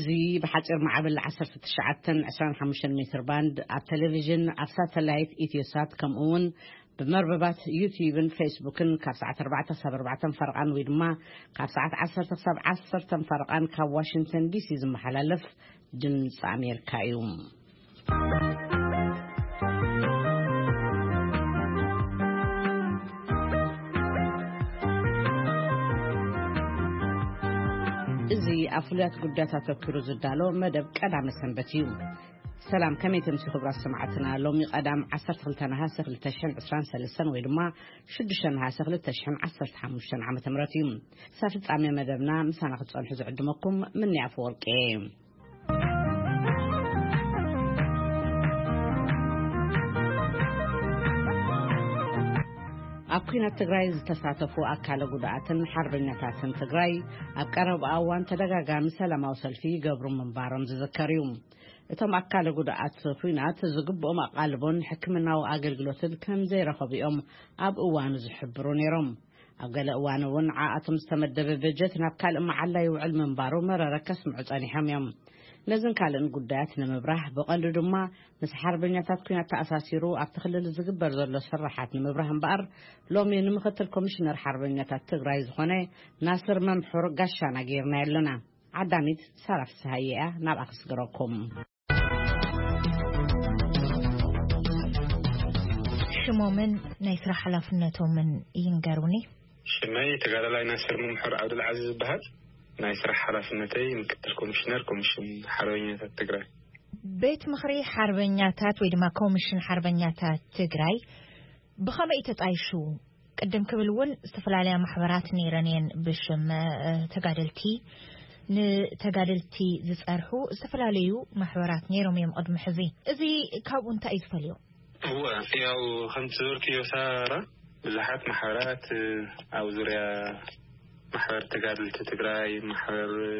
እዚ ብሓጺር ማዕበል ዓሰርተ ትሽዓተ ዕስራን ሓሙሽተን ሜትር ባንድ ኣብ ቴሌቪዥን፣ ኣብ ሳተላይት ኢትዮሳት፣ ከምኡ እውን ብመርበባት ዩቲዩብን ፌስቡክን ካብ ሰዓት ኣርባዕተ ክሳብ ኣርባዕተ ፈረቓን ወይ ድማ ካብ ሰዓት ዓሰርተ ክሳብ ዓሰርተ ፈረቓን ካብ ዋሽንግተን ዲሲ ዝመሓላለፍ ድምፂ ኣሜሪካ እዩ። እዚ ኣብ ፍሉያት ጉዳያት ኣተኪሩ ዝዳሎ መደብ ቀዳመ ሰንበት እዩ። ሰላም፣ ከመይ ተምሲ ክቡራት ሰማዕትና? ሎሚ ቀዳም ዓሰርተ ክልተ ነሃሰ ክልተ ሽሕን ዕስራን ሰለስተን ወይ ድማ ሽዱሽተ ነሃሰ ክልተ ሽሕን ዓሰርተ ሓሙሽተን ዓመተ ምህረት እዩ። ክሳብ ፍጻሜ መደብና ምሳና ክትጸንሑ ዝዕድመኩም ምንያ ኣፈወርቂ እየ። ኣብ ኲናት ትግራይ ዝተሳተፉ ኣካለ ጉዱኣትን ሓርበኛታትን ትግራይ ኣብ ቀረባ እዋን ተደጋጋሚ ሰላማዊ ሰልፊ ይገብሩ ምንባሮም ዝዝከር እዩ። እቶም ኣካለ ጉዱኣት ኲናት ዝግብኦም ኣቓልቦን ሕክምናዊ ኣገልግሎትን ከም ዘይረኸቡ እዮም ኣብ እዋኑ ዝሕብሩ ነይሮም። ኣብ ገለ እዋን እውን ንዓኣቶም ዝተመደበ በጀት ናብ ካልእ መዓላ ይውዕል ምንባሩ መረረ ከስምዑ ጸኒሖም እዮም። ነዝን ካልእን ጉዳያት ንምብራህ፣ ብቐንዱ ድማ ምስ ሓርበኛታት ኲናት ተኣሳሲሩ ኣብቲ ክልል ዝግበር ዘሎ ስራሓት ንምብራህ እምበኣር፣ ሎሚ ንምክትል ኮሚሽነር ሓርበኛታት ትግራይ ዝኾነ ናስር መምሑር ጋሻና ገይርናዮ ኣለና። ዓዳሚት ሳራ ፍስሃየ እያ፣ ናብኣ ክስግረኩም። ሽሞምን ናይ ስራሕ ሓላፍነቶምን ይንገሩኒ። ሽመይ ተጋዳላይ ናስር መምሑር ዓብዱልዓዚዝ ይበሃል። ናይ ስራሕ ሓላፍነተይ ምክትል ኮሚሽነር ኮሚሽን ሓርበኛታት ትግራይ። ቤት ምኽሪ ሓርበኛታት ወይ ድማ ኮሚሽን ሓርበኛታት ትግራይ ብኸመይ እዩ ተጣይሹ? ቅድም ክብል እውን ዝተፈላለያ ማሕበራት ነይረን እየን፣ ብሽም፣ እ፣ ተጋደልቲ፣ ንተጋደልቲ ዝጸርሑ ዝተፈላለዩ ማሕበራት ነይሮም እዮም ቅድሚ ሕዚ። እዚ ካብኡ እንታይ እዩ ዝፈልዮ? እወ፣ ያው ከምቲ ዝበልክዮ ሳራ፣ ብዙሓት ማሕበራት፣ እ፣ ኣብ ዙርያ ማሕበር ተጋደልቲ ትግራይ፣ ማሕበር፣ እ፣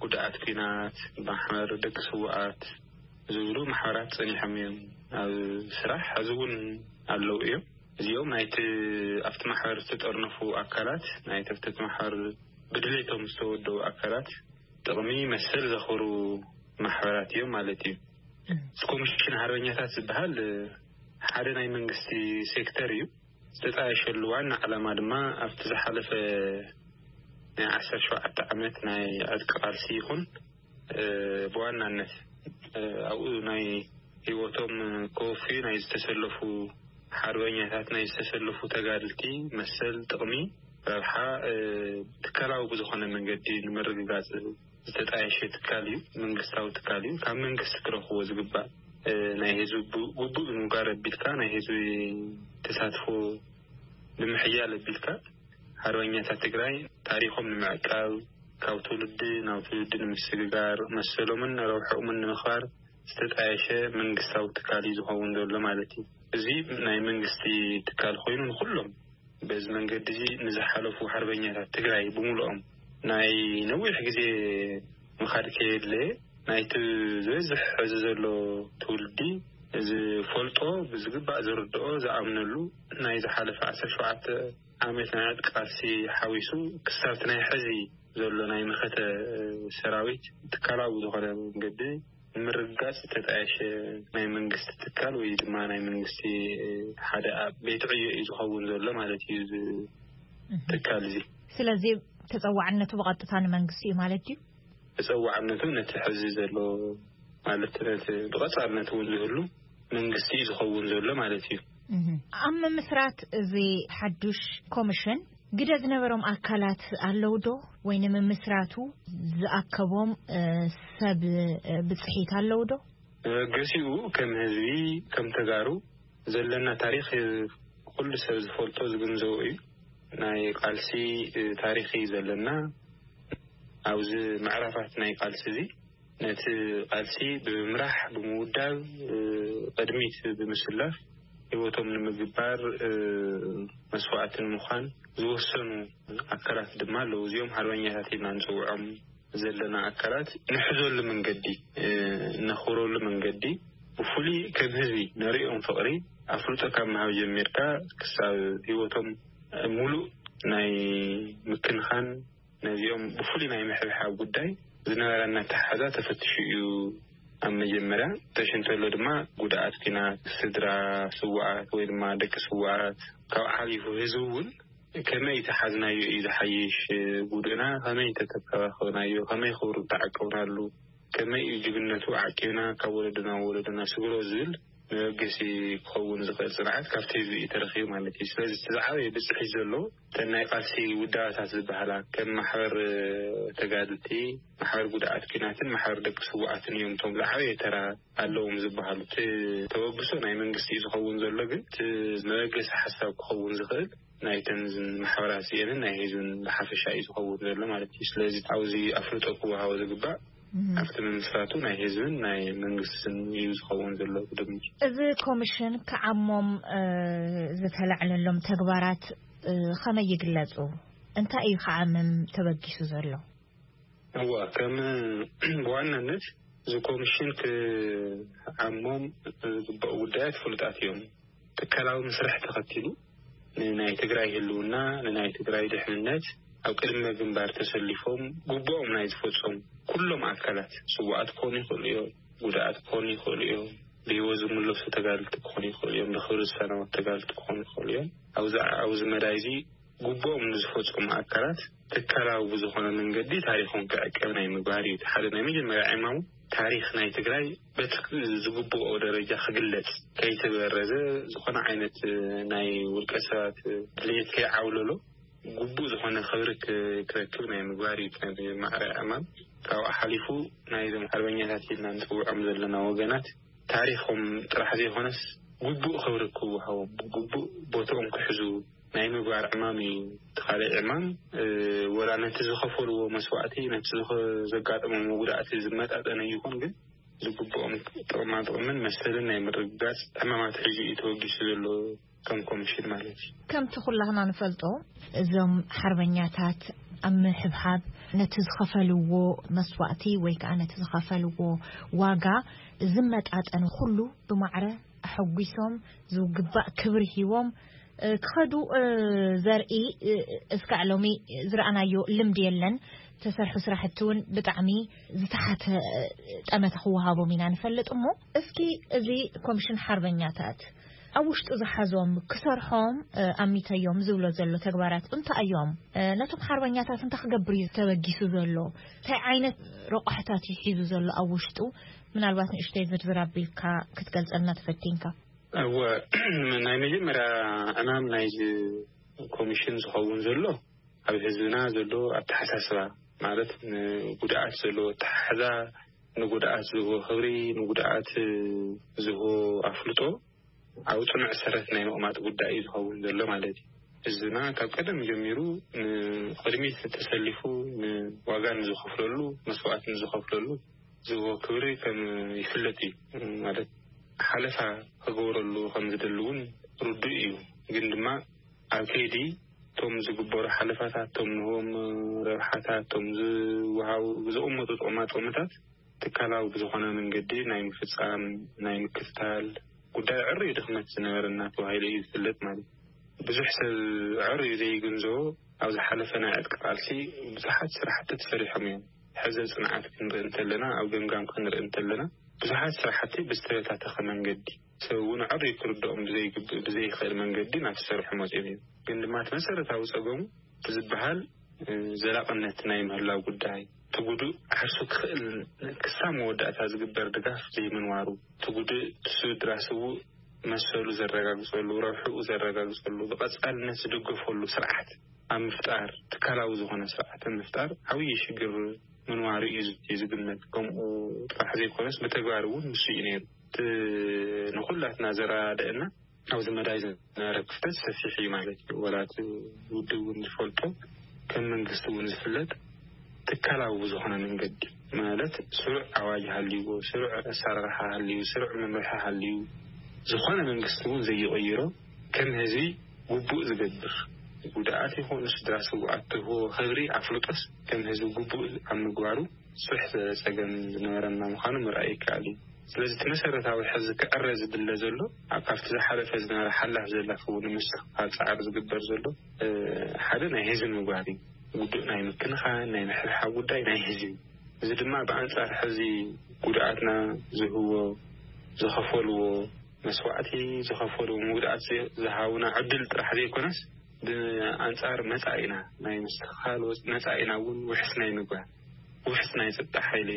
ጉድኣት ኲናት፣ ማሕበር ደቂ ስውኣት ዝብሉ ማሕበራት ጸኒሖም እዮም ኣብ ስራሕ። ሕዚ እውን ኣለዉ እዮም። እዚኦም ናይቲ ኣብቲ ማሕበር ዝተጠርነፉ ኣካላት፣ ናይቲ ኣብቲ ማሕበር ብድሌቶም ዝተወደቡ ኣካላት ጥቕሚ መሰል ዘኽብሩ ማሕበራት እዮም ማለት እዩ። እቲ ኮሚሽን ሓርበኛታት ዝበሃል ሓደ ናይ መንግስቲ ሴክተር እዩ። ዝተጣየሸሉ ዋና ዓላማ ድማ ኣብቲ ዝሓለፈ ናይ ዓሰርተ ሸውዓተ ዓመት ናይ ዕጥቂ ቃልሲ ይኹን፣ እ፣ ብዋናነት፣ እ፣ ኣብኡ ናይ ህይወቶም ከወፍዩ ናይ ዝተሰለፉ ሓርበኛታት፣ ናይ ዝተሰለፉ ተጋድልቲ መሰል፣ ጥቕሚ፣ ረብሓ፣ እ፣ ትካላዊ ብዝኾነ መንገዲ ንምርግጋጽ ዝተጣየሸ ትካል እዩ። መንግስታዊ ትካል እዩ። ካብ መንግስቲ ክረኽቦ ዝግባእ፣ እ፣ ናይ ህዝቢ ቡ-፣ ግቡእ ብምግባር ኣቢልካ፣ ናይ ህዝቢ ተሳትፎ ንምሕያል ኣቢልካ፣ ሓርበኛታት ትግራይ ታሪኾም ንምዕቃብ፣ ካብ ትውልዲ ናብ ትውልዲ ንምስግጋር፣ መሰሎምን ረብሐኦምን ንምኽባር ዝተጣየሸ መንግስታዊ ትካል እዩ ዝኸውን ዘሎ ማለት እዩ። እዚ ናይ መንግስቲ ትካል ኮይኑ ንኹሎም በዚ መንገዲ እዚ ንዝሓለፉ ሓርበኛታት ትግራይ ብምሉኦም ናይ ነዊሕ ግዜ ምኻድ ከየድለየ ናይቲ ዝበዝሕ ሕዚ ዘሎ ትውልዲ ዝፈልጦ፣ ብዝግባእ ዝርድኦ፣ ዝኣምነሉ ናይ ዝሓለፈ ዓሰርተ ሸውዓተ ዓመት ናይ ዕጥቂ ቃልሲ ሓዊሱ ክሳብ እቲ ናይ ሕዚ ዘሎ ናይ መኸተ ሰራዊት ትካላዊ ዝኾነ መንገዲ ንምርግጋጽ ዝተጣየሸ ናይ መንግስቲ ትካል ወይ ድማ ናይ መንግስቲ ሓደ ኣብ ቤት ዕዮ እዩ ዝኸውን ዘሎ ማለት እዩ፣ እዚ እህ። ትካል እዚ። ስለዚ ተጸዋዕነቱ ብቐጥታ ንመንግስቲ እዩ ማለት ድዩ? ተጸዋዕነቱ ነቲ ሕዚ ዘሎ ማለት ነቲ ብቐጻልነት እውን ዝህሉ መንግስቲ እዩ ዝኸውን ዘሎ ማለት እዩ። እህ። ኣብ ምምስራት እዚ ሓዱሽ ኮሚሽን ግደ ዝነበሮም ኣካላት ኣለዉ ዶ? ወይ ንምምስራቱ ዝኣከቦም፣ እ፣ ሰብ፣ እ፣ ብጽሒት ኣለዉ ዶ? እ፣ ገሲኡ ከም ህዝቢ፣ ከም ተጋሩ ዘለና ታሪኽ፣ እ፣ ኩሉ ሰብ ዝፈልጦ ዝግንዘቦ እዩ። ናይ ቃልሲ፣ እ፣ ታሪኽ እዩ ዘለና። ኣብዚ ምዕራፋት ናይ ቃልሲ እዚ ነቲ ቃልሲ ብምምራሕ፣ ብምውዳብ፣ እ፣ ቅድሚት ብምስላፍ፣ ህይወቶም ንምግባር፣ እ፣ መስዋእቲ ንምዃን ዝወሰኑ ኣካላት ድማ ኣለዉ። እዚኦም ሓርበኛታት ኢልና ንጽውዖም ዘለና ኣካላት ንሕዘሉ መንገዲ፣ እ፣ ነኽብረሉ መንገዲ፣ ብፍሉይ ከም ህዝቢ ነርእዮም ፍቕሪ፣ ኣፍልጦ ካብ ምሃብ ጀሚርካ ክሳብ ህይወቶም ሙሉእ ናይ ምክንኻን፣ ነዚኦም ብፍሉይ ናይ ምሕብሓብ ጉዳይ ዝነበረና ኣተሓሕዛ ተፈትሹ እዩ። ኣብ መጀመርያ ተሽንተሎ ድማ ጉድኣት ኪናት፣ ስድራ ስውኣት ወይ ድማ ደቂ ስውኣት፣ ካብ ሓሊፉ ህዝቢ እውን ከመይ ተሓዝናዮ እዩ ዝሓይሽ፣ ጉድእና ከመይ ተተከባኸብናዮ፣ ከመይ ክብሩ ተዓቀብናሉ፣ ከመይ እዩ ጅግነቱ ዓቂብና ካብ ወለዶና ወለዶና ስግሮ ዝብል መበገሲ ክኸውን ዝኽእል ጽንዓት ካብቲ ህዝቢ እዩ ተረኺቡ ማለት እዩ። ስለዚ እቲ ዝዓበየ ብጽሒት ዘሎ እተን ናይ ቃልሲ ውዳበታት ዝበሃላ ከም ማሕበር ተጋድልቲ፣ ማሕበር ጉድኣት ኪናትን ማሕበር ደቂ ስውኣትን እዮም እቶም ዝዓበየ ተራ ኣለዎም ዝበሃሉ። እቲ ተበግሶ ናይ መንግስቲ እዩ ዝኸውን ዘሎ፣ ግን እቲ መበገሲ ሓሳብ ክኸውን ዝኽእል ናይተን ማሕበራት እዚአንን ናይ ህዝብን ብሓፈሻ እዩ ዝኸውን ዘሎ ማለት እዩ። ስለዚ ኣብዚ ኣፍልጦ ክወሃቦ ዝግባእ ኣብቲ ምምስራቱ ናይ ህዝብን ናይ መንግስትን እዩ ዝኸውን ዘሎ ብድምር። እዚ ኮሚሽን ክዓሞም ዝተላዕለሎም ተግባራት ከመይ ይግለጹ? እንታይ እዩ ክዓምም ተበጊሱ ዘሎ? እዋ ከም ብዋናነት እዚ ኮሚሽን ክዓሞም ዝግባኡ ጉዳያት ፍሉጣት እዮም። ትካላዊ መስርሕ ተኸቲሉ ንናይ ትግራይ ህልውና፣ ንናይ ትግራይ ድሕንነት ኣብ ቅድመ ግንባር ተሰሊፎም ግቡኦም ናይ ዝፈጸሙ ኩሎም ኣካላት፣ ስውኣት ክኾኑ ይኽእሉ እዮም፣ ጉድኣት ክኾኑ ይኽእሉ እዮም፣ ብህይወት ዝምለሱ ተጋድልቲ ክኾኑ ይኽእሉ እዮም፣ ብኽብሪ ዝሰናበቱ ተጋድልቲ ክኾኑ ይኽእሉ እዮም። ኣብዚ ኣብዚ መዳይ እዚ ግቡኦም ንዝፈጸሙ ኣካላት ትካላዊ ብዝኾነ መንገዲ ታሪኾም ክዕቀብ ናይ ምግባር እዩ። ሓደ ናይ መጀመርያ ዕማሙ ታሪኽ ናይ ትግራይ በቲ ዝግብኦ ደረጃ ክግለጽ፣ ከይተበረዘ ዝኾነ ዓይነት ናይ ውልቀ ሰባት ድሌት ከይዓውለሎ ግቡእ ዝኾነ ክብሪ ክረክብ ናይ ምግባር እዩ። ማዕረ ዕማም ካብኡ ሓሊፉ ናይዞም ሓርበኛታት ኢልና ንፅውዖም ዘለና ወገናት ታሪኾም ጥራሕ ዘይኮነስ ግቡእ ክብሪ ክወሃቦም፣ ግቡእ ቦትኦም ክሕዙ ናይ ምግባር ዕማም እዩ። እቲ ካልእ ዕማም ወላ ነቲ ዝኸፈልዎ መስዋእቲ፣ ነቲ ዘጋጠሞም መጉዳእቲ ዝመጣጠነ ይኹን፣ ግን ዝግብኦም ጥቕማ ጥቕምን መሰልን ናይ ምርግጋፅ ዕማማት ሒዙ እዩ ተወጊሱ ዘሎ ከም ኮሚሽን ማለት እዩ። ከምቲ ኩላህና ንፈልጦ፣ እዞም ሓርበኛታት ኣብ ምሕብሓብ ነቲ ዝኸፈልዎ መስዋእቲ ወይ ከዓ ነቲ ዝኸፈልዎ ዋጋ ዝመጣጠነ ኩሉ ብማዕረ ኣሐጒሶም፣ ዝግባእ ክብሪ ሂቦም ክኸዱ ዘርኢ እስካዕ ሎሚ ዝረኣናዮ ልምዲ የለን። ተሰርሑ ስራሕቲ እውን ብጣዕሚ ዝተሓተ ጠመተ ክወሃቦም ኢና ንፈልጥ። እሞ እስኪ እዚ ኮሚሽን ሓርበኛታት ኣብ ውሽጡ ዝሓዞም ክሰርሖም ኣሚተዮም ዝብሎ ዘሎ ተግባራት እንታይ እዮም? ነቶም ሓርበኛታት እንታይ ክገብር እዩ ተበጊሱ ዘሎ? እንታይ ዓይነት ረቋሕታት እዩ ሒዙ ዘሎ ኣብ ውሽጡ? ምናልባት ንእሽተይ ዝርዝር ኣቢልካ ክትገልጸልና ተፈቲንካ። እወ፣ ናይ መጀመርያ ዕማም ናይዚ ኮሚሽን ዝኸውን ዘሎ ኣብ ህዝብና ዘሎ ኣተሓሳስባ፣ ማለት ንጉድኣት ዘሎ ኣተሓሕዛ፣ ንጉድኣት ዝህቦ ክብሪ፣ ንጉድኣት ዝህቦ ኣፍልጦ ኣብ ጽኑዕ ሰረት ናይ ምቕማጥ ጉዳይ እዩ ዝኸውን ዘሎ ማለት እዩ። ህዝብና ካብ ቀደም ጀሚሩ ንቕድሚት ተሰሊፉ ንዋጋ ንዝኸፍለሉ፣ መስዋእቲ ንዝኸፍለሉ ዝህቦ ክብሪ ከም ይፍለጥ እዩ። ማለት ሓለፋ ክገብረሉ ከም ዝደሊ እውን ርዱእ እዩ። ግን ድማ ኣብ ከይዲ እቶም ዝግበሩ ሓለፋታት፣ እቶም ንህቦም ረብሓታት፣ እቶም ዝወሃቡ ዝቕመጡ ጥቕማ ጥቕምታት ትካላዊ ብዝኾነ መንገዲ ናይ ምፍጻም፣ ናይ ምክትታል ጉዳይ ዕሩይ ድኽመት ዝነበረና ተባሂሉ እዩ ዝፍለጥ ማለት እዩ። ብዙሕ ሰብ ዕሩይ ዘይግንዘቦ ኣብ ዝሓለፈ ናይ ዕጥቂ ቃልሲ ብዙሓት ስራሕቲ ተሰሪሖም እዮም። ሕዚ ጽንዓት ክንርኢ እንተለና፣ ኣብ ገምጋም ክንርኢ እንተለና፣ ብዙሓት ስራሕቲ ብዝተበታተኸ መንገዲ፣ ሰብ እውን ዕሩይ ክርድኦም ብዘይግብ-፣ ብዘይኽእል መንገዲ ናብ ዝሰርሑ መጺኦም እዮም። ግን ድማ እቲ መሰረታዊ ጸገሙ እቲ ዝበሃል፣ እ፣ ዘላቕነት ናይ ምህላው ጉዳይ፣ እቲ ጉዱእ ዓርሱ ክኽእል ክሳብ መወዳእታ ዝግበር ድጋፍ ዘይምንባሩ፣ እቲ ጉዱእ እቲ ስድራ ስዉእ መሰሉ ዘረጋግጸሉ፣ ረብሕኡ ዘረጋግጸሉ፣ ብቐጻልነት ዝደገፈሉ ስርዓት ኣብ ምፍጣር፣ ትካላዊ ዝኾነ ስርዓት ኣብ ምፍጣር ዓብዪ ሽግር ምንባሩ እዩ ዝ-፣ እዩ ዝግመት። ከምኡ ጥራሕ ዘይኮነስ ብተግባር እውን ንሱ እዩ ነይሩ። እቲ ንኹላትና ዘረዳድአና ኣብዚ መዳይ ዝነበረ ክፍተት ሰፊሕ እዩ ማለት እዩ። ወላ እቲ ውድብ እውን ዝፈልጦ፣ ከም መንግስቲ እውን ዝፍለጥ፣ ትካላዊ ብዝኾነ መንገዲ፣ ማለት ስሩዕ ኣዋጅ ሃልይዎ፣ ስሩዕ ኣሰራርሓ ሃልዩ፣ ስሩዕ መምርሒ ሃልዩ፣ ዝኾነ መንግስቲ እውን ዘይቕይሮ፣ ከም ህዝቢ ግቡእ ዝገብር፣ ጉድኣት ይኹን ስድራ ስውኣት ትህቦ ክብሪ ኣፍልጦስ ከም ህዝቢ ግቡእ ኣብ ምግባሩ ብዙሕ ጸገም ዝነበረና ምዃኑ ምርኣይ ይከኣል እዩ። ስለዚ እቲ መሰረታዊ ሕዚ ክዕረ ዝድለ ዘሎ፣ ኣብ ካብቲ ዝሓለፈ ዝነበረ ሓላፍ ዘላፍ እውን ንምስትኽኻል ጻዕሪ ዝግበር ዘሎ፣ እ፣ ሓደ ናይ ህዝቢ ምግባር እዩ። ጉዱእ ናይ ምክንኻን፣ ናይ ምሕብሓብ ጉዳይ ናይ ህዝቢ። እዚ ድማ ብኣንጻር ሕዚ ጉድኣትና ዝህዎ ዝኸፈልዎ መስዋዕቲ ዝኸፈልዎ ምጉድኣት ዝሃቡና ዕድል ጥራሕ ዘይኮነስ ብኣንጻር መጻኢና ናይ ምስትኽኻል መጻኢና እውን ውሕስ ናይ ምግባር ውሕስ ናይ ጸጥታ ሓይሊ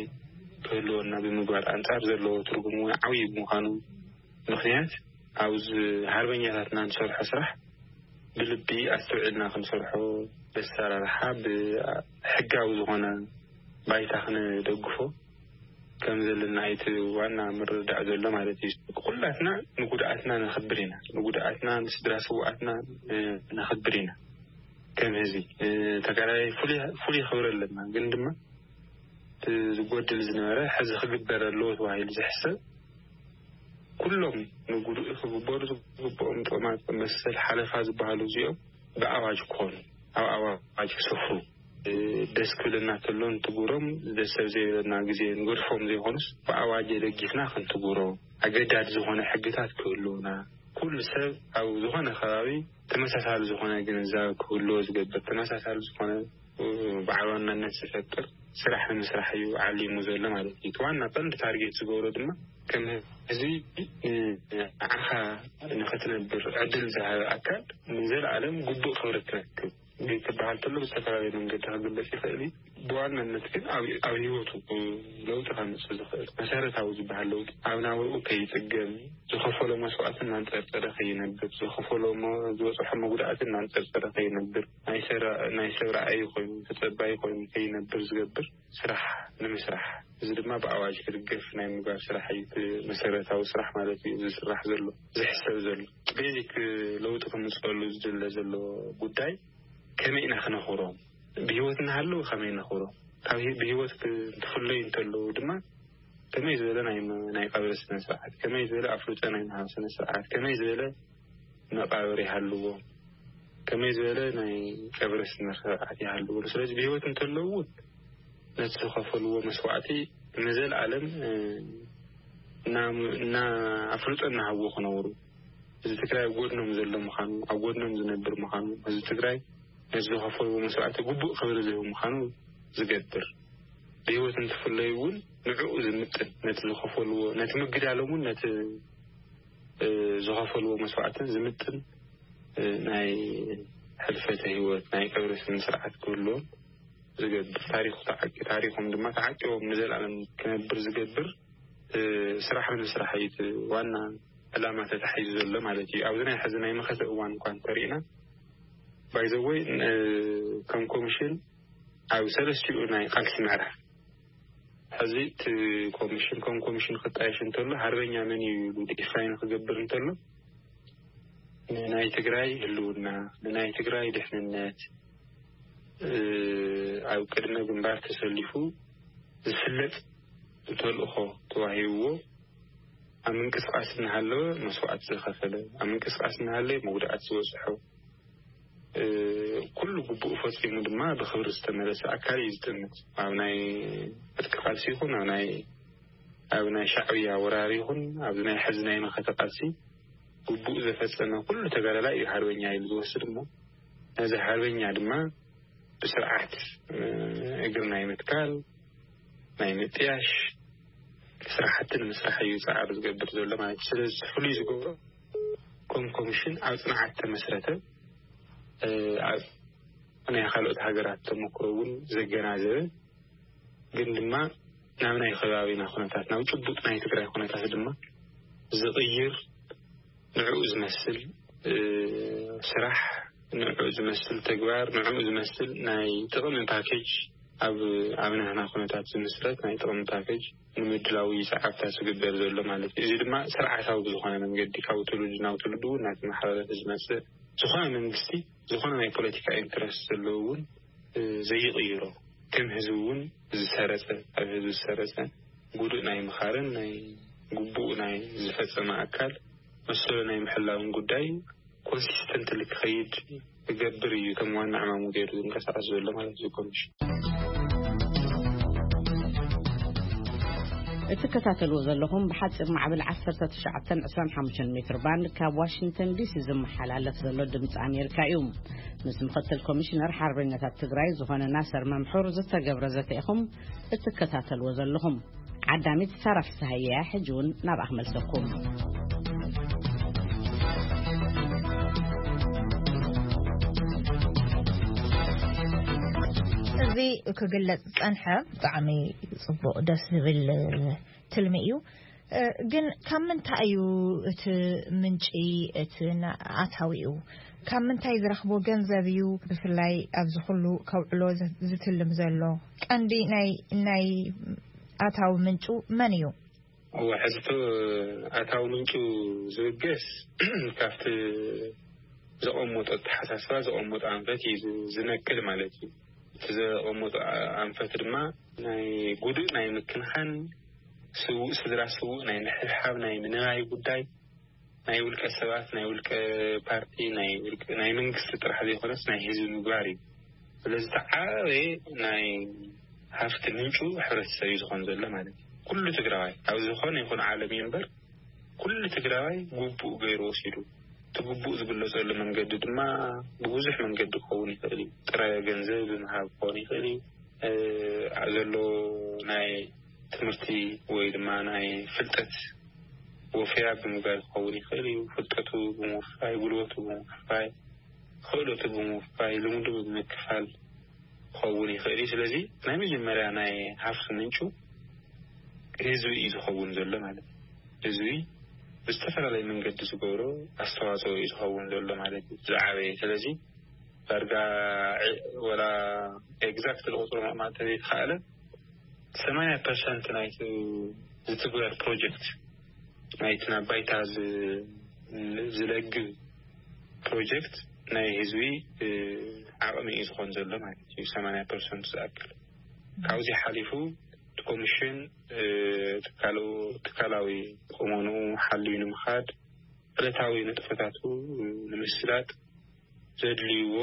ክህልወና ብምግባር ኣንጻር ዘለዎ ትርጉም እውን ዓብዪ ብምዃኑ ምኽንያት ኣብዚ ሃርበኛታትና ንሰርሖ ስራሕ ብልቢ ኣስተውዒልና ክንሰርሖ ብኣሰራርሓ ብሕጋዊ ዝኾነ ባይታ ክንደግፎ ከም ዘለና እቲ ዋና ምርዳእ ዘሎ ማለት እዩ። ኩላትና ንጉድኣትና ነኽብር ኢና፣ ንጉድኣትና ንስድራ ስውኣትና ነኽብር ኢና። ከም ህዝቢ ተጋዳላይ ፍሉይ ክብሪ ኣለና፣ ግን ድማ ዝጎድል ዝነበረ ሕዚ ክግበር ኣለዎ ተባሂሉ ዝሕሰብ ኩሎም ንጉድኡ ክግበሩ ዝግብኦም ጥቕማ መሰል ሓለፋ ዝበሃሉ እዚኦም ብኣዋጅ ክኾኑ ኣብ ኣዋጅ ክሰፍሩ ደስ ክብለና ተሎ እንትጉሮም ደስ ሰብ ዘይብለና ግዜ ንገድፎም ዘይኮኑስ ብኣዋጅ የደጊፍና ክንትጉሮ ኣገዳድ ዝኾነ ሕግታት ክህልውና ኩሉ ሰብ ኣብ ዝኾነ ከባቢ ተመሳሳሊ ዝኾነ ግንዛብ ክህልዎ ዝገብር ተመሳሳሊ ዝኾነ ብዓል ዋናነት ዝፈጥር ስራሕ ንምስራሕ እዩ ዓሊሙ ዘሎ ማለት እዩ። እቲ ዋና ቀንዲ ታርጌት ዝገብሮ ድማ ከም ህዝቢ ንዓኻ ንኽትነብር ዕድል ዝሃበ ኣካል ንዘለኣለም ግቡእ ክብሪ ትረክብ። ቤት ትበሃል ተሎ ብዝተፈላለየ መንገዲ ክግለጽ ይኽእል እዩ። ብዋናነት ግን ኣብ ኣብ ህይወቱ ለውጢ ከምፅእ ዝኽእል መሰረታዊ ዝበሃል ለውጢ ኣብ ናብርኡ ከይፅገም ዝኸፈሎ መስዋዕቲ እናንፀርፀረ ከይነብር ዝኸፈሎ ዝበፅሖ መጉዳእቲ እናንፀርፀረ ከይነብር ናይ ሰብ ርኣይ ኮይኑ ተፀባይ ኮይኑ ከይነብር ዝገብር ስራሕ ንምስራሕ እዚ ድማ ብኣዋጅ ክድገፍ ናይ ምግባር ስራሕ እዩ። መሰረታዊ ስራሕ ማለት እዩ ዝስራሕ ዘሎ ዝሕሰብ ዘሎ ቤዚክ ለውጢ ክምፅሉ ዝድለ ዘሎ ጉዳይ ከመይ ኢና ክነኽብሮም? ብህይወት እናሃለዉ ከመይ ነኽብሮም? ካብ ብህይወት እንትፍለዩ እንተለዉ ድማ ከመይ ዝበለ ናይ ቀብሪ ስነ ስርዓት፣ ከመይ ዝበለ ኣፍልጦ ናይ ምሃብ ስነ ስርዓት፣ ከመይ ዝበለ መቃብር ይሃልዎ፣ ከመይ ዝበለ ናይ ቀብሪ ስነ ስርዓት ይሃልዎ። ስለዚ ብህይወት እንተለዉ እውን ነቲ ዝኸፈልዎ መስዋዕቲ ንዘለኣለም እና ኣፍልጦ እናሃብዎ ክነብሩ እዚ ትግራይ ኣብ ጎድኖም ዘሎ ምዃኑ ኣብ ጎድኖም ዝነብር ምዃኑ እዚ ትግራይ ነቲ ዝኸፈልዎ መስዋዕቲ ግቡእ ክብሪ ዝህብ ምዃኑ ዝገብር ብህይወት እንትፍለዩ እውን ንዕኡ ዝምጥን ነቲ ዝኸፈልዎ ነቲ ምግዳሎም እውን ነቲ ዝኸፈልዎ መስዋዕትን ዝምጥን ናይ ሕልፈተ ህይወት ናይ ቀብሪ ስነ ስርዓት ክህልዎም ዝገብር ታሪኹ ታሪኾም ድማ ተዓቂቦም ንዘለኣለም ክነብር ዝገብር ስራሕ ንምስራሕ እዩ ዋና ዕላማ ተታሒዙ ዘሎ ማለት እዩ። ኣብዚ ናይ ሕዚ ናይ መኸተ እዋን እኳ እንተሪእና ባይዘወይ ከም ኮሚሽን ኣብ ሰለስቲኡ ናይ ቃልሲ ምዕራፍ ሕዚ እቲ ኮሚሽን ከም ኮሚሽን ክጣየሽ እንተሎ ሃርበኛ መን እዩ ኢሉ ዲፋይን ክገብር እንተሎ ንናይ ትግራይ ህልውና ንናይ ትግራይ ድሕንነት ኣብ ቅድመ ግንባር ተሰሊፉ ዝፍለጥ ተልእኾ ተዋሂብዎ ኣብ ምንቅስቃስ እናሃለወ መስዋዕቲ ዝኸፈለ ኣብ ምንቅስቃስ እናሃለየ መጉዳኣት ዝበፅሖ ኩሉ ግቡኡ ፈፂሙ ድማ ብክብሪ ዝተመለሰ ኣካል እዩ ዝጥምት። ኣብ ናይ ዕጥቂ ቃልሲ ይኹን ኣብ ናይ ኣብ ናይ ሻዕብያ ወራር ይኹን ኣብዚ ናይ ሕዚ ናይ መኸተ ቃልሲ ግቡኡ ዘፈፀመ ኩሉ ተጋዳላይ እዩ ሃርበኛ ኢሉ ዝወስድ እሞ ነዚ ሃርበኛ ድማ ብስርዓት እግሪ ናይ ምትካል ናይ ምጥያሽ ስራሕቲ ንምስራሕ እዩ ፃዕሪ ዝገብር ዘሎ ማለት እዩ። ስለዚ ፍሉይ ዝገብሮ ከም ኮሚሽን ኣብ ፅንዓት ተመስረተ ኣብ ናይ ካልኦት ሃገራት ተመክሮ እውን ዘገናዘበ ግን ድማ ናብ ናይ ከባቢና ኩነታት ናብ ጭቡጥ ናይ ትግራይ ኩነታት ድማ ዝቕይር ንዕኡ ዝመስል ስራሕ ንዕኡ ዝመስል ተግባር ንዕኡ ዝመስል ናይ ጥቕሚ ፓኬጅ ኣብ ኣብ ናህና ኩነታት ዝምስረት ናይ ጥቕሚ ፓኬጅ ንምድላው እዩ ሰዓብታ ዝግበር ዘሎ ማለት እዩ። እዚ ድማ ስርዓታዊ ብዝኾነ መንገዲ ካብ ትውልዲ ናብ ትውልዲ እውን እናተመሓላለፈ ዝመፅእ ዝኾነ መንግስቲ ዝኾነ ናይ ፖለቲካ ኢንትረስት ዘለዎ እውን ዘይቕይሮ ከም ህዝቢ እውን ዝሰረፀ ኣብ ህዝቢ ዝሰረፀ ጉዱእ ናይ ምኻርን ናይ ግቡእ ናይ ዝፈፀመ ኣካል መሰሉ ናይ ምሕላውን ጉዳይ ኮንሲስተንትሊ ክኸይድ ክገብር እዩ ከም ዋና ዕማሙ ገይሩ ዝንቀሳቀስ ዘሎ ማለት እዩ ኮሚሽን። እትከታተልዎ ዘለኹም ብሓፂር ማዕበል ዓሰርተ ትሽዓተ ዕስራን ሓሙሽተን ሜትር ባንድ ካብ ዋሽንግተን ዲሲ ዝመሓላለፍ ዘሎ ድምፂ ኣሜሪካ እዩ። ምስ ምክትል ኮሚሽነር ሓርበኛታት ትግራይ ዝኾነ ናሰር መምሑር ዝተገብረ ዘተ ኢኹም እትከታተልዎ ዘለኹም። ዓዳሚት ሳራ ፍስሃየ እያ። ሕጂ እውን ናብኣ ክመልሰኩም። እዚ ክግለጽ ዝጸንሐ ብጣዕሚ ጽቡቕ፣ ደስ ዝብል ትልሚ እዩ። እ፣ ግን ካብ ምንታይ እዩ እቲ ምንጪ፣ እቲ ና-፣ ኣታዊኡ? ካብ ምንታይ ዝረኽቦ ገንዘብ እዩ ብፍላይ ኣብዚ ኩሉ ከውዕሎ ዝ-፣ ዝትልም ዘሎ? ቀንዲ ናይ፣ ናይ ኣታዊ ምንጩ መን እዩ? እወ፣ ሕዝቶ ኣታዊ ምንጩ ዝብገስ ካብቲ ዘቐመጦ ኣተሓሳስባ፣ ዘቐመጦ ኣንፈት እዩ ዝ-፣ ዝነቅል ማለት እዩ። እቲ ዘቐመጦ ኣ-፣ ኣንፈት ድማ ናይ ጉድእ ናይ ምክንኻን፣ ስውእ ስድራ ስውእ ናይ ምሕብሓብ፣ ናይ ምንባይ ጉዳይ፣ ናይ ውልቀ ሰባት፣ ናይ ውልቀ ፓርቲ፣ ናይ ውልቀ፣ ናይ መንግስቲ ጥራሕ ዘይኮነስ ናይ ህዝቢ ምግባር እዩ። ስለዚ እቲ ዓበየ ናይ ሃፍቲ ምንጩ ሕብረተሰብ እዩ ዝኾን ዘሎ ማለት እዩ። ኩሉ ትግራዋይ ኣብ ዝኾነ ይኹን ዓለም እዩ እምበር፣ ኩሉ ትግራዋይ ግቡእ ገይሩ ወሲዱ። እቲ ግቡእ ዝግለጸሉ መንገዲ ድማ ብብዙሕ መንገዲ ክኸውን ይኽእል እዩ። ጥረ ገንዘብ ብምሃብ ክኸውን ይኽእል እዩ። እ፣ ዘሎ ናይ ትምህርቲ ወይ ድማ ናይ ፍልጠት ወፈያ ብምግባር ክኸውን ይኽእል እዩ። ፍልጠቱ ብምውፋይ፣ ጉልበቱ ብምውፋይ፣ ክእለቱ ብምውፋይ፣ ልምዱ ብምክፋል ክኸውን ይኽእል እዩ። ስለዚ ናይ መጀመርያ ናይ ሃፍቲ ምንጩ ህዝቢ እዩ ዝኸውን ዘሎ ማለት እዩ። ህዝቢ ብዝተፈላለየ መንገዲ ዝገብሮ ኣስተዋፅኦ እዩ ዝኸውን ዘሎ ማለት እዩ፣ ዝዓበየ። ስለዚ ዳርጋ ዕ-፣ ወላ ኤግዛክት ዝቁፅሩ ምቕማጥ ተዘይተኻእለ፣ ሰማንያ ፐርሰንት ናይቲ ዝትግበር ፕሮጀክት፣ ናይቲ ናብ ባይታ ዝ-፣ ዝለግብ ፕሮጀክት ናይ ህዝቢ፣ እ፣ ዓቕሚ እዩ ዝኾን ዘሎ ማለት እዩ። ሰማንያ ፐርሰንት ዝኣክል ካብዚ ሓሊፉ እቲ ኮሚሽን፣ እ፣ ትካሉ-፣ ትካላዊ ቁመንኡ ሓልዩ ንምኻድ ዕለታዊ ንጥፈታቱ ንምስላጥ ዘድልይዎ፣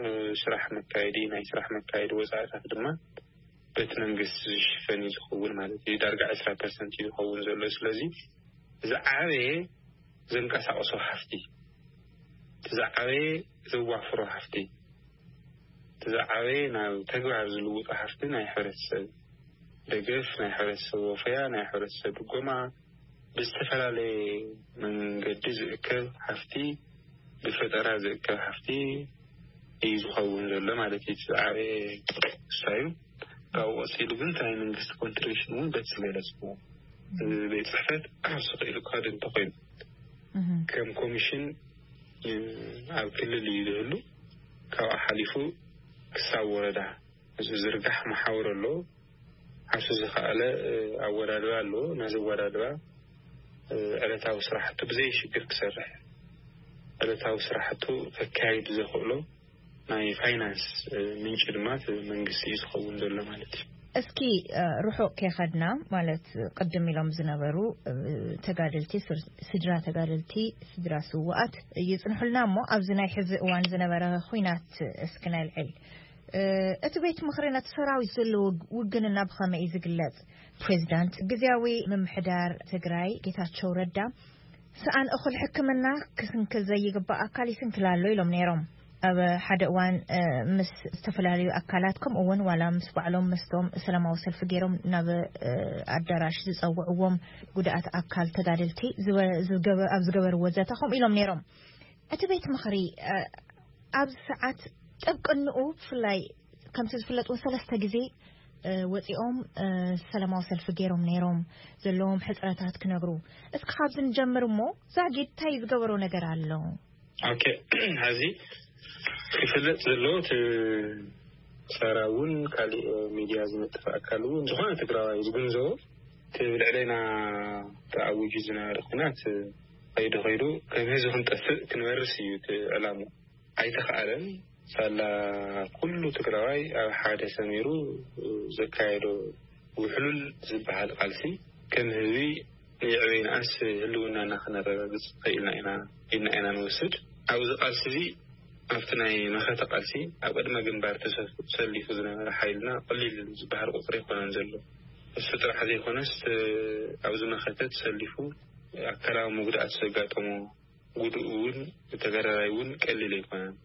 እ፣ ስራሕ መካየዲ፣ ናይ ስራሕ መካየዲ ወፃእታት ድማ በቲ መንግስቲ ዝሽፈን እዩ ዝኸውን ማለት እዩ። ዳርጋ ዕስራ ፐርሰንት እዩ ዝኸውን ዘሎ። ስለዚ ዝዓበየ ዘንቀሳቕሶ ሃፍቲ፣ እቲ ዝዓበየ ዘዋፍሮ ሃፍቲ፣ እቲ ዝዓበየ ናብ ተግባር ዝልውጦ ሃፍቲ ናይ ሕብረተሰብ ደገፍ፣ ናይ ሕብረተሰብ ወፈያ፣ ናይ ሕብረተሰብ ድጎማ፣ ብዝተፈላለየ መንገዲ ዝእከብ ሃፍቲ፣ ብፈጠራ ዝእከብ ሃፍቲ እዩ ዝኸውን ዘሎ ማለት እዩ። እቲ ዝዓበየ እሱ እዩ። ካብኡ ቀፂሉ ግን እቲ ናይ መንግስቲ ኮንትሪቢሽን እውን በቲ ዝገለፅዎ፣ እዚ ቤት ፅሕፈት ዓርሱ ክኢሉ ክኸድ እንተኾይኑ፣ እህ። ከም ኮሚሽን፣ እ፣ ኣብ ክልል እዩ ዝህሉ። ካብኡ ሓሊፉ ክሳብ ወረዳ ዝዝርጋሕ መሓውር ኣሎ። ዓርሱ ዝኸኣለ፣ እ፣ ኣወዳድባ ኣሎ። ነዚ ኣወዳድባ፣ እ፣ ዕለታዊ ስራሕቱ ብዘይ ሽግር ክሰርሕ፣ ዕለታዊ ስራሕቱ ከካይድ ዘኽእሎ ናይ ፋይናንስ፣ እ፣ ምንጪ ድማ እቲ መንግስቲ እዩ ዝኸውን ዘሎ ማለት እዩ። እስኪ፣ እ፣ ርሑቕ ከይኸድና፣ ማለት ቅድም ኢሎም ዝነበሩ፣ እ፣ ተጋደልቲ፣ ስር-፣ ስድራ ተጋደልቲ፣ ስድራ ስውኣት ይጽንሑልና እሞ፣ ኣብዚ ናይ ሕዚ እዋን ዝነበረ ኹናት እስኪ ነልዕል። እ፣ እቲ ቤት ምኽሪ ነቲ ሰራዊት ዘለዎ ውግንና ብኸመይ እዩ ዝግለጽ? ፕሬዚዳንት ግዝያዊ ምምሕዳር ትግራይ ጌታቸው ረዳ፣ ሰኣን እኹል ሕክምና ክስንክል ዘይግባእ ኣካል ይስንክል ኣሎ ኢሎም ነይሮም። ኣብ ሓደ እዋን፣ እ፣ ምስ ዝተፈላለዩ ኣካላት፣ ከምኡ እውን ዋላ ምስ ባዕሎም፣ ምስቶም ሰላማዊ ሰልፊ ገይሮም ናብ፣ እ፣ ኣዳራሽ ዝጸውዕዎም ጉዳኣት ኣካል ተጋደልቲ ዝወ-፣ ዝገበ-፣ ኣብ ዝገበርዎ ዘተ ከምኡ ኢሎም ነይሮም። እቲ ቤት ምኽሪ፣ እ፣ ኣብዚ ሰዓት ጥብቅንኡ ብፍላይ ከምቲ ዝፍለጥ እውን ሰለስተ ግዜ፣ እ፣ ወፂኦም፣ እ፣ ሰላማዊ ሰልፊ ገይሮም ነይሮም፣ ዘለዎም ሕፅረታት ክነግሩ። እስኪ ካብዚ ንጀምር እሞ፣ ዛጊድ እንታይ ዝገበሮ ነገር ኣሎ? ኦኬ፣ ሕዚ ክፍለጥ ዘለዎ፣ እቲ ሰራ እውን ካሊእ ሚድያ ዝነጥፍ ኣካል እውን፣ ዝኾነ ትግራዋይ ዝግንዘቦ፣ እቲ ብልዕሌና ተኣዊጁ ዝነበረ ኩናት ከይዱ ከይዱ ከም ህዝቢ ክንጠፍእ ክንበርስ እዩ እቲ ዕላማ። ኣይተኻእለን። ሳላ ኩሉ ትግራዋይ ኣብ ሓደ ሰሚሩ ዘካየዶ ውሕሉል ዝበሃል ቃልሲ፣ ከም ህዝቢ ንዕበይ ንኣስ ህልውናና ክነረጋግጽ ኽኢልና ኢና ኢልና ኢና ንወስድ። ኣብዚ ቃልሲ እዚ፣ ኣብቲ ናይ መኸተ ቃልሲ ኣብ ቅድመ ግንባር ተሰ-፣ ተሰሊፉ ዝነበረ ሓይልና ቀሊል ዝበሃል ቁጽሪ ኣይኮነን ዘሎ። እሱ ጥራሕ ዘይኮነስ፣ እ፣ ኣብዚ መኸተ ተሰሊፉ ኣካላዊ መጉዳእቲ ዘጋጠሞ ጉድኡ እውን፣ ተጋዳላይ እውን ቀሊል ኣይኮነን።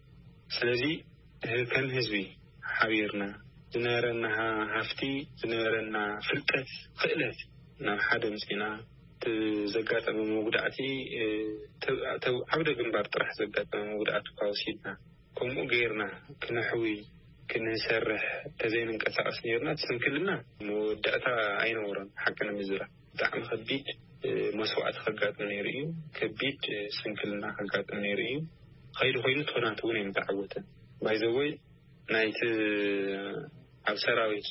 ስለዚ ህ-፣ ከም ህዝቢ ሓቢርና ዝነበረና ሃ-፣ ሃፍቲ፣ ዝነበረና ፍልጠት፣ ክእለት ናብ ሓደ ምፅና፣ እቲ ዘጋጠመ መጉዳእቲ፣ እ፣ ተ-፣ ተ-፣ ዓውደ ግንባር ጥራሕ ዘጋጠመ መጉዳእቲ እኳ ወሲድና፣ ከምኡ ገይርና ክነሕዊ፣ ክንሰርሕ ተዘይንንቀሳቐስ ነይርና፣ እቲ ስንክልና መወዳእታ ኣይነበሮን። ሓቂ ንምዝራብ ብጣዕሚ ከቢድ፣ እ፣ መስዋእቲ ከጋጥም ነይሩ እዩ። ከቢድ፣ እ፣ ስንክልና ከጋጥም ነይሩ እዩ። ኸይዱ ኸይዱ ትኾናት እውን ኣይምተዓወተን። ባይዘወይ ናይቲ ኣብ ሰራዊት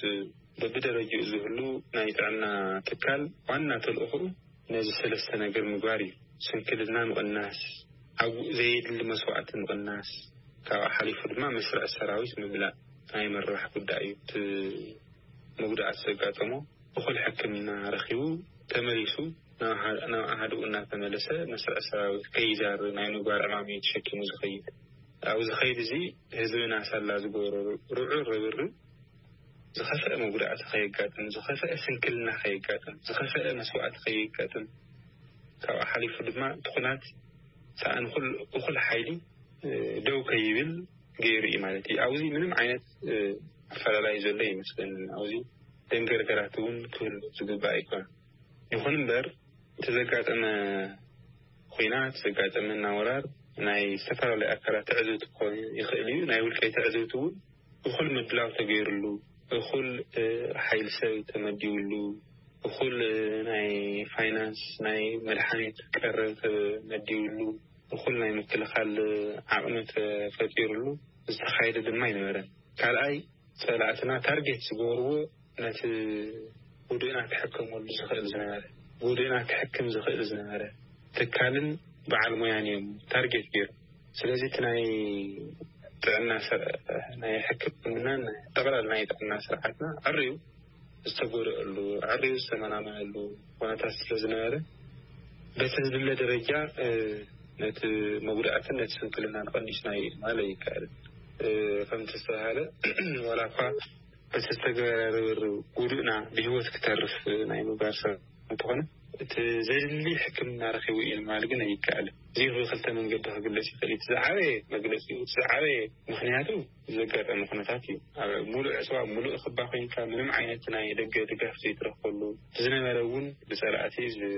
በብደረጃኡ ዝህሉ ናይ ጥዕና ትካል ዋና ተልእኾኡ ነዚ ሰለስተ ነገር ምግባር እዩ። ስንክልና ምቕናስ፣ ኣብ ዘየድሊ መስዋዕቲ ምቕናስ፣ ካብኡ ሓሊፉ ድማ መስርዕ ሰራዊት ምምላእ ናይ ምርባሕ ጉዳይ እዩ። እቲ መጉዳእቲ ዘጋጠሞ እኹል ሕክምና ረኺቡ ተመሊሱ ናብ ሃ-፣ ናብ ኣሃድኡ እናተመለሰ መስርዕ ሰራዊት ከይዛሪ ናይ ምግባር ዕማም እዩ ተሸኪሙ ዝኸይድ። ኣብዚ ኸይድ እዚ ህዝብና ሳላ ዝገበሮ ርዑ ርብርብ ዝኸፍአ መጉዳእቲ ከየጋጥም፣ ዝኸፍአ ስንክልና ከየጋጥም፣ ዝኸፍአ መስዋእቲ ከየጋጥም፣ ካብኡ ሓሊፉ ድማ ትኹናት ሰኣን ኩል-፣ እኹል ሓይሊ፣ እ፣ ደው ከይብል ገይሩ እዩ ማለት እዩ። ኣብዚ ምንም ዓይነት፣ እ፣ ኣፈላላይ ዘሎ ይመስለኒ። ኣብዚ ደንገርገራት እውን ክህሉ ዝግባእ ኣይኮነን። ይኹን እምበር፣ እቲ ዘጋጠመ ኹናት፣ ዘጋጠመና ወራር ናይ ዝተፈላለዩ ኣካላት ትዕዝብቲ ክኾን ይኽእል እዩ። ናይ ውልቀይ ትዕዝብቲ እውን እኹል ምድላው ተገይሩሉ፣ እኹል፣ እ፣ ሓይሊ ሰብ ተመዲቡሉ፣ እኹል፣ እ፣ ናይ ፋይናንስ፣ ናይ መድሓኒት ቀረብ ተመዲቡሉ፣ እኹል ናይ ምክልኻል ዓቕሚ ተፈጢሩሉ ዝተኻየደ ድማ ኣይነበረን። ካልኣይ፣ ጸላእትና ታርጌት ዝገበርዎ ነቲ ጉድእና ክሕከመሉ ዝኽእል ዝነበረ፣ ጉድእና ክሕክም ዝኽእል ዝነበረ ትካልን በዓል ሞያን እዮም ታርጌት ገይሮም። ስለዚ እቲ ናይ ጥዕና ስር-፣ ናይ ሕክምናን ጠቕላላ ናይ ጥዕና ስርዓትና ዕርዩ ዝተጎድኣሉ፣ ዕርዩ ዝተመናመነሉ ኩነታት ስለ ዝነበረ፣ በቲ ዝድለ ደረጃ፣ እ፣ ነቲ መጉዳእትን ነቲ ስንክልናን ቀኒስናዮ ማለት ይከኣል። እ፣ ከምቲ ዝተባሃለ፣ ዋላ እኳ በቲ ዝተገበረ ርብርብ ጉዱእና ብህይወት ክተርፍ ናይ ምግባር ሰብ እንተኾነ፣ እቲ ዘድሊ ሕክምና ረኺቡ እዩ ንምባል ግን ኣይከኣልን። እዚ ብክልተ መንገዲ ክግለጽ ይኽእል እዩ። እቲ ዝዓበየ መግለጺ፣ እቲ ዝዓበየ ምኽንያቱ ዘጋጠመ ኩነታት እዩ። ኣብ ሙሉእ ዕጽዋ፣ ኣብ ሙሉእ ክባ ኮይንካ፣ ምንም ዓይነት ናይ ደገ ድጋፍ ዘይትረኽበሉ፣ ዝነበረ እውን ብጸላእቲ ዝ-፣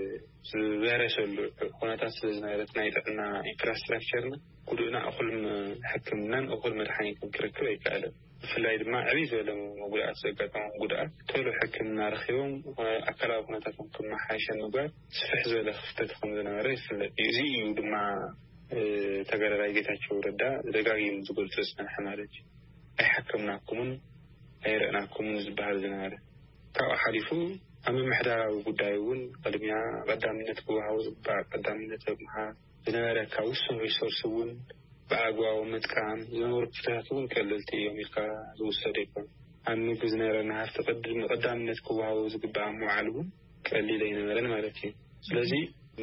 ዝበረሰሉ ኩነታት ስለ ዝነበረ፣ እቲ ናይ ጥዕና ኢንፍራስትራክቸርና፣ ጉዱእና እኹል ም-፣ ሕክምናን እኹል መድሓኒትን ክረክብ ኣይከኣለን። ብፍላይ ድማ ዕብይ ዝበለ መጉዳእቲ ዘጋጠሞም ጉዳኣት ቶሎ ሕክምና ረኺቦም ኣካላዊ ኩነታቶም ክመሓየሽ ምግባር ስፍሕ ዝበለ ክፍተት ከም ዝነበረ ይፍለጥ እዩ። እዚ እዩ ድማ፣ እ፣ ተጋዳላይ ጌታቸው ረዳ ደጋጊሙ ዝገልጾ ዝጸንሐ ማለት እዩ። ኣይሓከምናኩምን ኣይረእናኩምን ዝበሃል ዝነበረ። ካብኡ ሓሊፉ ኣብ ምምሕዳራዊ ጉዳይ እውን ቅድሚያ ቀዳምነት ክወሃቦ ዝግባእ ቀዳምነት ኣብ ምሃብ፣ ዝነበረ ካብ ውሱን ሪሶርስ እውን ብኣግባቡ ምጥቃም፣ ዝነበሩ ክፍተታት እውን ቀለልቲ እዮም ኢልካ ዝውሰድ ኣይኮን። ኣብ ምግቢ ዝነበረና ሃፍቲ ቅድሚ ቀዳምነት ክወሃቦ ዝግባእ ምውዓል እውን ቀሊል ኣይነበረን ማለት እዩ። ስለዚ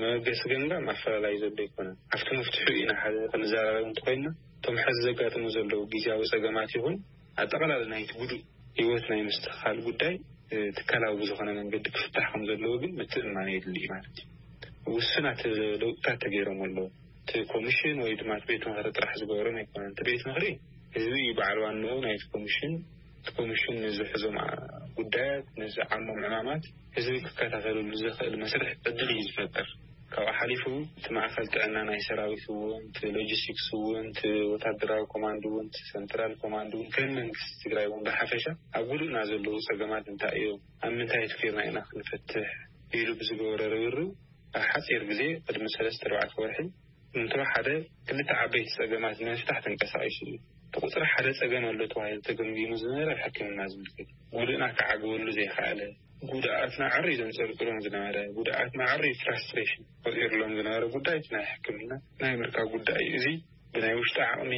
መበገሲ ገምጋም ኣፈላላይ ዘሎ ኣይኮነን። ኣብቲ መፍትሑ ኢና ሓደ ክንዘራረብ እንተኮይንና፣ እቶም ሕዚ ዘጋጥሙ ዘለዉ ግዝያዊ ጸገማት ይኹን ኣጠቓላሊ ናይቲ ጉዱእ ህይወት ናይ ምስትኽኻል ጉዳይ፣ እ፣ ትካላዊ ብዝኾነ መንገዲ ክፍታሕ ከም ዘለዎ ግን ምትእምማን የድሊ እዩ ማለት እዩ። ውሱናት ለውጥታት ተገይሮም ኣለዉ። እቲ ኮሚሽን ወይ ድማ እቲ ቤት ምኽሪ ጥራሕ ዝገበሮም ኣይኮነን። እቲ ቤት ምኽሪ ህዝቢ እዩ በዓል ዋንኡ ናይቲ ኮሚሽን። እቲ ኮሚሽን ንዝሕዞም ዓ-፣ ጉዳያት፣ ንዝዓሞም ዕማማት ህዝቢ ክከታተለሉ ዝኽእል መስርሕ ዕድል እዩ ዝፈጥር። ካብኡ ሓሊፉ እቲ ማእከል ጥዕና ናይ ሰራዊት እውን፣ እቲ ሎጂስቲክስ እውን፣ እቲ ወታደራዊ ኮማንድ እውን፣ እቲ ሰንትራል ኮማንድ እውን፣ ከም መንግስቲ ትግራይ እውን ብሓፈሻ ኣብ ጉድእና ዘለዉ ጸገማት እንታይ እዮም፣ ኣብ ምንታይ ኣትኪርና ኢና ክንፈትሕ ኢሉ ብዝገበሮ ርብርብ ኣብ ሓጺር ግዜ ቅድሚ ሰለስተ ኣርባዕተ ወርሒ እንተወሓደ ክልተ ዓበይቲ ጸገማት ንምፍታሕ ተንቀሳቒሱ እዩ። ብቁጽሪ ሓደ ጸገም ኣሎ ተባሂሉ ተገምጊሙ ዝነበረ ኣብ ሕክምና ዝምልከት ጉድእና ክዓግበሉ ዘይከኣለ፣ ጉድኣትና ዕርዩ ዘንጸርጽሮም ዝነበረ፣ ጉድኣትና ዕርዩ ፍራስትሬሽን ፈጢሩሎም ዝነበረ ጉዳይ እቲ ናይ ሕክምና ናይ ምርካብ ጉዳይ እዩ። እዚ ብናይ ውሽጢ ዓቕሚ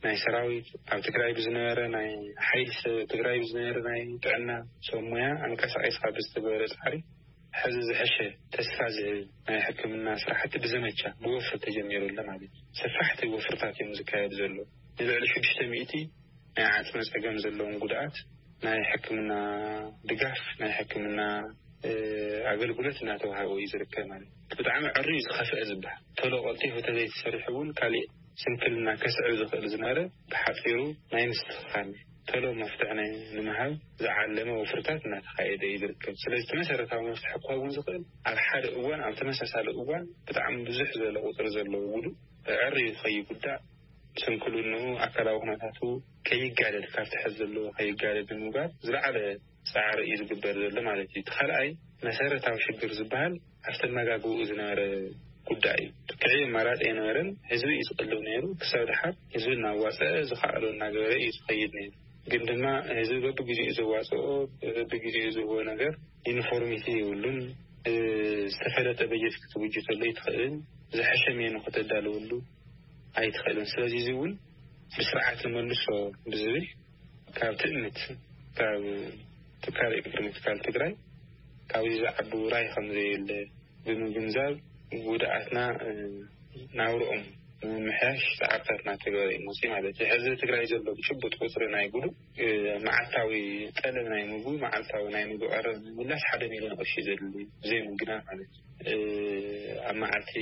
ናይ ሰራዊት፣ ኣብ ትግራይ ብዝነበረ ናይ ሓይሊ ሰብ፣ ትግራይ ብዝነበረ ናይ ጥዕና ሰብ ሞያ ኣንቀሳቒስካ ብዝተገበረ ጻዕሪ፣ ሕዚ ዝሐሸ ተስፋ ዝህብ ናይ ሕክምና ስራሕቲ ብዘመቻ ብወፍሪ ተጀሚሩ ኣሎ ማለት እዩ። ሰፋሕቲ ወፍርታት እዮም ዝካየዱ ዘለዉ። ንልዕሊ ሽዱሽተ ሚእቲ ናይ ዓጽሚ ጸገም ዘለዎም ጉድኣት ናይ ሕክምና ድጋፍ፣ ናይ ሕክምና ኣገልግሎት እናተዋሃበ እዩ ዝርከብ ማለት እዩ። ብጣዕሚ ዕርዩ ዝኸፍአ ዝበሃል፣ ቶሎ ቀልጢፉ ተዘይተሰሪሑ እውን ካሊእ ስንክልና ከስዕብ ዝኽእል ዝነበረ ብሓፂሩ ናይ ምስትኽኻል፣ ቶሎ መፍትሒ ናይ ንምሃብ ዝዓለመ ወፍርታት እናተኻየደ እዩ ዝርከብ። ስለዚ እቲ መሰረታዊ መፍትሒ ክኸውን ዝኽእል ኣብ ሓደ እዋን፣ ኣብ ተመሳሳሊ እዋን ብጣዕሚ ብዙሕ ዝበለ ቁፅሪ ዘለዎ ጉዱእ ዕርዩ ከይጉዳእ፣ ስንክልንኡ፣ ኣካላዊ ኩነታቱ ከይጋደድ፣ ካብቲ ሕዚ ዘለዎ ከይጋደድ ንምግባር ዝለዓለ ፃዕሪ እዩ ዝግበር ዘሎ ማለት እዩ። እቲ ካልኣይ መሰረታዊ ሽግር ዝበሃል ኣብቲ ኣመጋግብኡ ዝነበረ ጉዳይ እዩ። ትክዒ ኣማራፂ ኣይነበረን። ህዝቢ እዩ ዝቕልብ ነይሩ። ክሳብ ድሓር ህዝቢ እናዋፀአ ዝኸኣሎ እናገበረ እዩ ዝኸይድ ነይሩ። ግን ድማ ህዝቢ በብግዜኡ ዘዋፅኦ፣ በብግዜኡ ዝህቦ ነገር ዩኒፎርሚቲ የብሉን። ዝተፈለጠ በጀት ክትብጅተሉ ኣይትኽእልን። ዝሐሸ ሜኑ ከተዳልወሉ ኣይትኽእልን። ስለዚ እዚ እውን ብስርዓት ንመልሶ ብዝብል ካብ ትእምት፣ ካብ ትካል ኤግሪ ምትካል ትግራይ ካብዚ ዝዓቢ ውራይ ከም ዘየለ ብምግንዛብ፣ ጉድኣትና ናብርኦም ንምምሕያሽ ፃዕርታት እናተገበረ እዩ መፅኡ ማለት እዩ። ሕዚ ትግራይ ዘሎ ብጭቡጥ ቁፅሪ ናይ ጉዱእ መዓልታዊ ጠለብ ናይ ምግቢ፣ መዓልታዊ ናይ ምግቢ ቀረብ ንምምላስ ሓደ ሚሊዮን ቅርሺ ዘድሊ፣ ብዘይ ምግናን ማለት እዩ። ኣብ መዓልቲ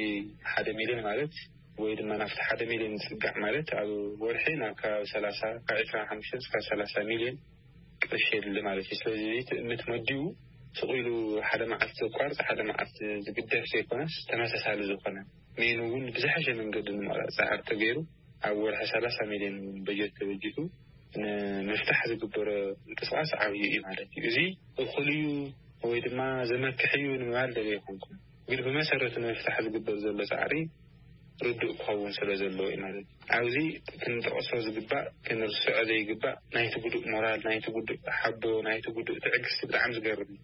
ሓደ ሚሊዮን ማለት፣ ወይ ድማ ናብቲ ሓደ ሚሊዮን ዝፅጋዕ ማለት፣ ኣብ ወርሒ ናብ ከባቢ ሰላሳ፣ ካብ ዕስራን ሓሙሽተን እስካብ ሰላሳ ሚሊዮን ቅርሺ የድሊ ማለት እዩ። ስለዚ እዚ ትእምት መዲቡ ስቕ ኢሉ ሓደ መዓልቲ ዘቋርፅ፣ ሓደ መዓልቲ ዝግደፍ ዘይኮነስ፣ ተመሳሳሊ ዝኾነ ሜኑ እውን ብዝሐሸ መንገዲ ንምቕራፅ ፃዕሪ ተገይሩ፣ ኣብ ወርሒ ሰላሳ ሚሊዮን እውን በጀት ተበጂቱ ንምፍታሕ ዝግበሮ ምንቅስቃስ ዓብዩ እዩ ማለት እዩ። እዚ እኹል እዩ ወይ ድማ ዘመክሕ እዩ ንምባል ደልየ ኣይኮንኩን። ግን ብመሰረቱ ንምፍታሕ ዝግበር ዘሎ ፃዕሪ ርዱእ ክኸውን ስለ ዘለዎ እዩ ማለት እዩ። ኣብዚ ክንጠቕሶ ዝግባእ፣ ክንርስዖ ዘይግባእ፣ ናይቲ ጉዱእ ሞራል፣ ናይቲ ጉዱእ ሓቦ፣ ናይቲ ጉዱእ ትዕግስቲ ብጣዕሚ ዝገርም እዩ።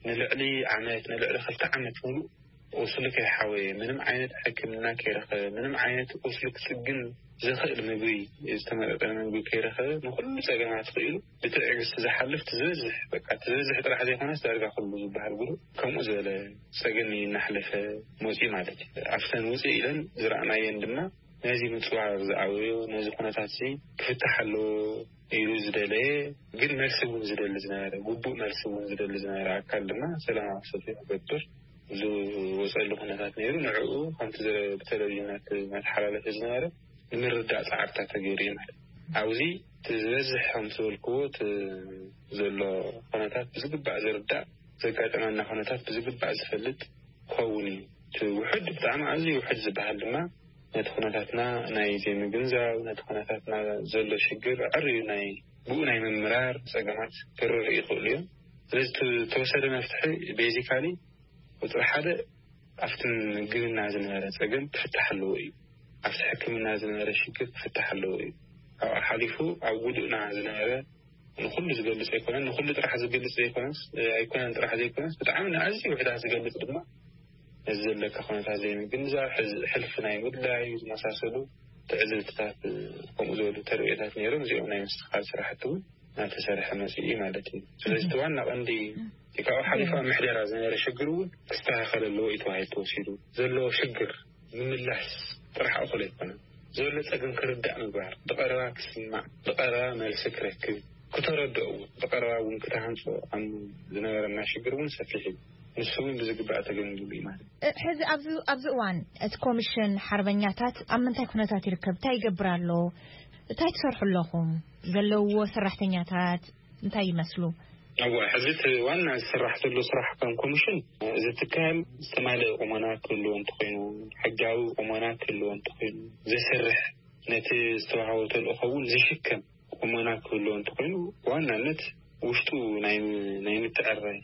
ንልዕሊ ዓመት፣ ንልዕሊ ክልተ ዓመት ሙሉእ ቁስሊ ከይሓወየ፣ ምንም ዓይነት ሕክምና ከይረኸበ፣ ምንም ዓይነት ቁስሊ ክፅግን ዝኽእል ምግቢ፣ ዝተመጣጠነ ምግቢ ከይረኸበ፣ ንኹሉ ፀገማት ክኢሉ ብትዕግስቲ ዝሓልፍ፣ እቲ ዝበዝሕ፣ በቃ፣ እቲ ዝበዝሕ ጥራሕ ዘይኮነስ ዳርጋ ኩሉ ዝበሃል ጉዱእ ከምኡ ዝበለ ፀገም እዩ እናሕለፈ መፅኡ ማለት እዩ። ኣብተን ውፅእ ኢለን ዝረኣናየን ድማ ነዚ ምፅዋር ዝኣበዮ፣ ነዚ ኩነታት እዚ ክፍታሕ ኣለዎ ኢሉ ዝደለየ፣ ግን መልሲ እውን ዝደሊ ዝነበረ፣ ግቡእ መልሲ እውን ዝደሊ ዝነበረ ኣካል ድማ ሰላማዊ ሰልፊ ክገብር ዝወፀሉ ኩነታት ነይሩ። ንዕኡ ከምቲ ዝረ-፣ ብቴሌቪዥናት እናተሓላለፈ ዝነበረ ንምርዳእ ፃዕርታት ተገይሩ እዩ ማለት እዩ። ኣብዚ እቲ ዝበዝሕ ከም ዝበልክዎ እቲ ዘሎ ኩነታት ብዝግባእ ዝርዳእ፣ ዘጋጠመና ኩነታት ብዝግባእ ዝፈልጥ ክኸውን እዩ። እቲ ውሑድ፣ ብጣዕሚ ኣዝዩ ውሑድ ዝበሃል ድማ ነቲ ኩነታትና ናይ ዘይምግንዛብ፣ ነቲ ኩነታትና ዘሎ ሽግር ኣዕርዩ ናይ ብኡ ናይ ምምራር ፀገማት ክርርእ ይኽእሉ እዮም። ስለዚ እቲ ዝተወሰደ መፍትሒ ቤዚካሊ ቁፅሪ ሓደ ኣብቲ ምግብና ዝነበረ ፀገም ክፍታሕ ኣለዎ እዩ። ኣብቲ ሕክምና ዝነበረ ሽግር ክፍታሕ ኣለዎ እዩ። ካብኡ ሓሊፉ ኣብ ጉድእና ዝነበረ ንኹሉ ዝገልፅ ኣይኮነን፣ ንኹሉ ጥራሕ ዝገልፅ ዘይኮነስ፣ ኣይኮነን ጥራሕ ዘይኮነስ፣ ብጣዕሚ ንኣዝዩ ውሕዳት ዝገልፅ ድማ ነዚ ዘለካ ኩነታት ዘይምግንዛብ፣ ሕዝ-፣ ሕልፊ ናይ ምድላይ ዝመሳሰሉ ትዕዝብትታት፣ ከምኡ ዝበሉ ተርእዮታት ነይሮም። እዚኦም ናይ ምስትኻል ስራሕቲ እውን እናተሰርሐ መፅኡ ማለት እዩ። ስለዚ እቲ ዋና ቀንዲ እቲ ካብኡ ሓሊፉ ኣብ ምሕደራ ዝነበረ ሽግር እውን ክስተኻኸል ኣለዎ እዩ ተባሂሉ ተወሲዱ። ዘለዎ ሽግር ምምላስ ጥራሕ እኹል ኣይኮነን። ዘሎ ፀገም ክርዳእ ምግባር፣ ብቐረባ ክስማዕ፣ ብቐረባ መልሲ ክረክብ፣ ክተረድኦ እውን፣ ብቐረባ እውን ክተሃንፆ ኣብ ዝነበረና ሽግር እውን ሰፊሕ እዩ። ንሱ እውን ብዝግባእ ተገምጊሙ እዩ ማለት እዩ። እ፣ ሕዚ ኣብዚ፣ ኣብዚ እዋን እቲ ኮሚሽን ሓርበኛታት ኣብ ምንታይ ኩነታት ይርከብ? እንታይ ይገብር ኣሎ? እንታይ ትሰርሑ ኣለኹም? ዘለውዎ ሰራሕተኛታት እንታይ ይመስሉ? እዋ፣ ሕዚ እቲ ዋና ዝስራሕ ዘሎ ስራሕ ከም ኮሚሽን፣ እዚ ትካል ዝተማልአ ቁመና ክህልዎ እንተኾይኑ፣ ሕጋዊ ቁመና ክህልዎ እንተኾይኑ፣ ዘስርሕ፣ ነቲ ዝተዋህቦ ተልእኾ እውን ዝሽከም ቁመና ክህልዎ እንተኾይኑ፣ ብዋናነት ውሽጡ ናይ፣ ናይ ምትዕርራይ፣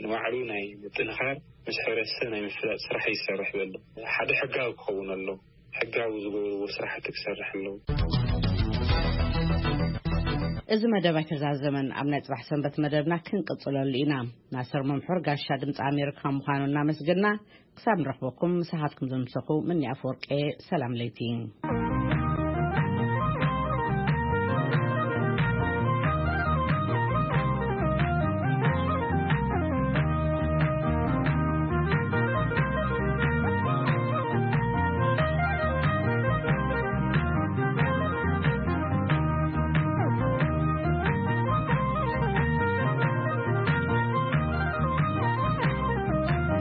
ንባዕሉ ናይ ምጥንኻር፣ ምስ ሕብረተሰብ ናይ ምፍላጥ ስራሕ ይሰርሕ ዘሎ። ሓደ ሕጋዊ ክኸውን ኣሎ። ሕጋዊ ዝገብርዎ ስራሕቲ ክሰርሕ ኣለዎ። እዚ መደብ ኣይተዛዘመን። ኣብ ናይ ጽባሕ ሰንበት መደብና ክንቅጽለሉ ኢና። ናስር መምሑር ጋሻ ድምጺ ኣሜሪካ ምዃኑ እናመስገና፣ ክሳብ ንረኽበኩም፣ ምሳኻትኩም ዘምሰኹ ምኒ ኣፈወርቄ፣ ሰላም ለይቲ።